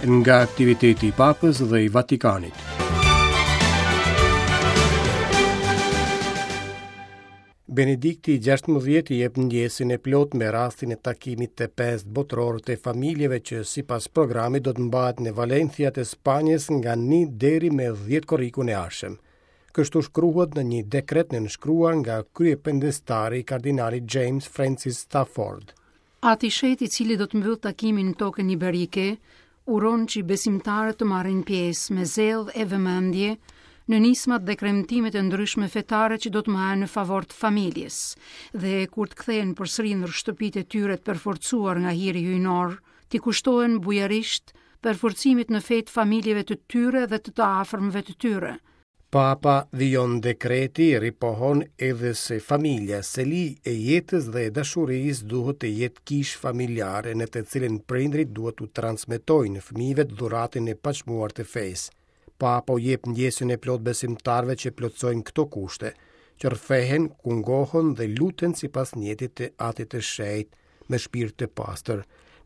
Nga aktiviteti i Papës dhe i Vatikanit. Benedikti i 16 jep ndjesën e plotë me rastin e takimit të pestë botëror të familjeve që sipas programit do të mbahet në Valencia të Spanjës nga 1 deri me 10 korrikun e ardhshëm. Kështu shkruhet në një dekret nënshkruar nga kryependestari kardinali James Francis Stafford. Ati i Shenjtë i cili do të mbyllë takimin në tokën iberike, uron që besimtarët të marrin pjesë me zell e vëmendje në nismat dhe kremtimet e ndryshme fetare që do të mbahen në favor të familjes dhe kur të kthehen përsëri në shtëpitë e tyre të përforcuar nga hiri hyjnor, t'i kushtohen bujarisht përforcimit në fe të familjeve të tyre dhe të të afërmve të tyre. Papa, vijon dekreti, ripohon edhe se familja, seli e jetës dhe e dashurisë duhet të jetë kishë familjare në të cilën prindërit duhet t'u transmetojnë fëmijëve dhuratën e paçmuar të fesë. Papa u jep ndjesën e plotë besimtarëve që plotësojnë këto kushte, që rrëfehen, kungohen dhe luten sipas nijetit të Atit të Shenjtë, me shpirt të pastër,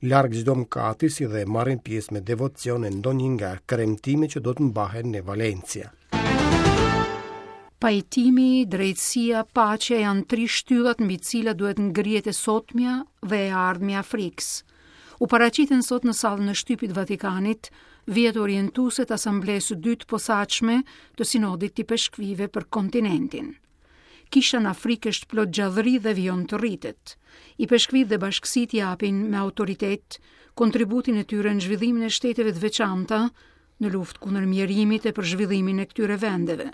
larg çdo mëkati si dhe marrin pjesë me devocion në ndonjë nga kremtimet që do të mbahen në Valencia. Pajtimi, drejtësia, paqja janë tri shtyllat mbi të cilat duhet ngrihet e sotmja dhe e ardhmja e Afrikës. U paraqitën sot në sallën e shtypit të Vatikanit vijat orientuese të Asamblesë së Dytë të Posaçme të Sinodit të Ipeshkvijve për kontinentin. Kisha në Afrikë është plot gjallëri dhe vijon të rritet. Ipeshkvijtë dhe bashkësitë japin me autoritet kontributin e tyre në zhvillimin e shteteve të veçanta në luftë kundër mjerimit e për zhvillimin e këtyre vendeve.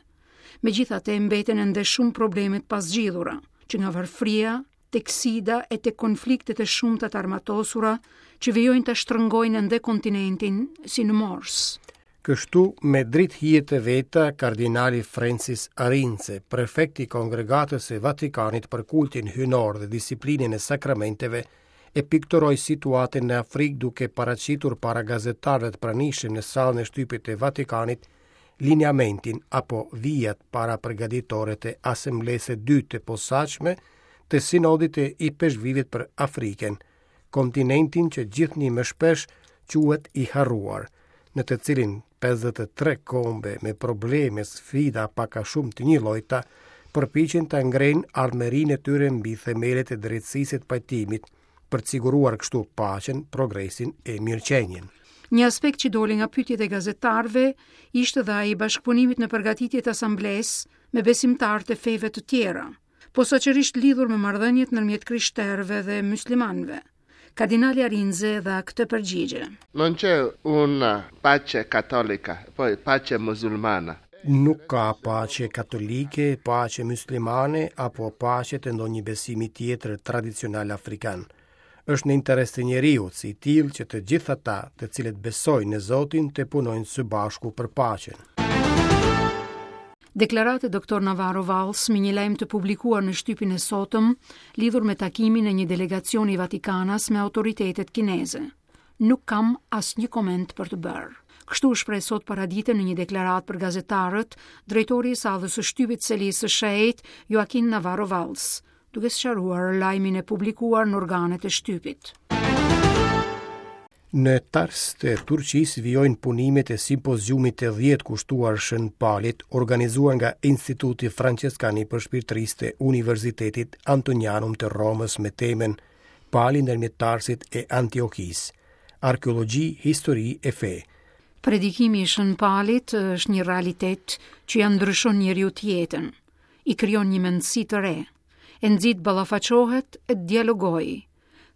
Megjithatë, mbeten ende shumë probleme të pazgjidhura, që nga varfëria, tek sida e tek konfliktet e shumta të armatosura që vijojnë ta shtrëngojnë ende kontinentin si në morsë. Kështu, me dritëhijet e veta, kardinali Francis Arinze, prefekt i Kongregatës së Vatikanit për kultin hyjnor dhe disiplinën e sakramenteve, e pikturoi situatën në Afrikë duke paraqitur para gazetarëve të pranishëm në sallën e shtypit të Vatikanit lineamentin apo vijat parapërgatitore të Asamblesë së Dytë të Posaçme të Sinodit të Ipeshkvijve për Afrikën, kontinentin që gjithnjë më shpesh quhet i harruar, në të cilin 53 kombe me probleme, sfida pak a shumë të njëllojta, përpiqen të ngrenë ardhmërinë e tyre mbi themelet e drejtësisë e të pajtimit, për të siguruar kështu paqen, progresin e mirëqenien. Një aspekt që doli nga pyetjet e gazetarëve ishte dhe ai i bashkëpunimit në përgatitje të asamblesë me besimtarët e feve të tjera, posaçërisht lidhur me marrëdhëniet ndërmjet krishterëve dhe myslimanëve. Kardinali Arinze dha këtë përgjigje. Non c'è una pace cattolica, poi pace musulmana. Nuk ka paqe katolike, paqe myslimane apo paqe të ndonjë besimi tjetër tradicional afrikan. Është në interes të njeriut si i tillë që të gjithë ata, të cilët besojnë në Zotin, të punojnë së bashku për paqen. Deklaratë e Doktor Navarro Valls me një lajm të publikuar në shtypin e sotëm lidhur me takimin e një delegacioni vatikanas me autoritetet kineze. Nuk kam asnjë koment për të bërë. Kështu u shpreh sot paradite në një deklaratë për gazetarët, drejtori i sallës së shtypit Selisë së Shenjtë, Joaquin Navarro Valls, duke sqaruar lajmin e publikuar në organet e shtypit. Në Tars të Turqisë vijojnë punimet e simpoziumit të 10 kushtuar Shën Palit, organizuar nga Instituti Franceskan i Përshpirtërisë të Universitetit Antonianum të Romës me temën Pali ndërmjet Tarsit e Antiokisë, arkeologji, histori e fe. Predikimi i Shën Palit është një realitet që ia ndryshon njeriut jetën, i krijon një mendësi të re, e nxit të ballafaqohet e të dialogojë.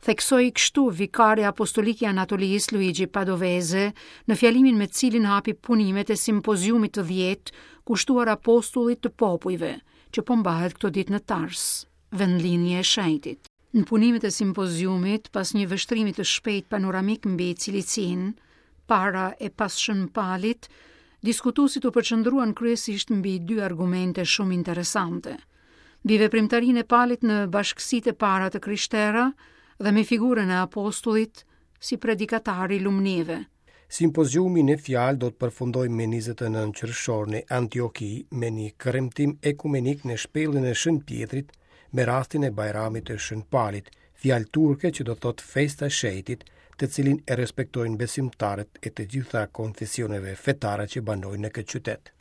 Theksoi kështu vikari apostolik i Anatolisë Luigi Padovese në fjalimin me të cilin hapi punimet e simpoziumit të 10 kushtuar apostullit të popujve, që po mbahet këto ditë në Tars. vendlindje e shenjtit. Në punimet e simpoziumit, pas një vështrimi të shpejtë panoramik mbi Cilicinë, para e pas Shën Palit, diskutuesit u përqendruan kryesisht mbi dy argumente shumë interesante. Mbi veprimtarinë e Palit në bashkësitë e para të krishtera dhe me figurën e apostullit si predikatar i lumnive. Simpoziumi në fjalë do të përfundojë me 29 qershor në Antioki me një kremtim ekumenik në shpellën e Shën Pjetrit me rastin e Bajramit të Shën Palit, fjalë turke që do të thotë festa e shenjtit, të cilin e respektojnë besimtarët e të gjitha konfesioneve fetare që banojnë në këtë qytet.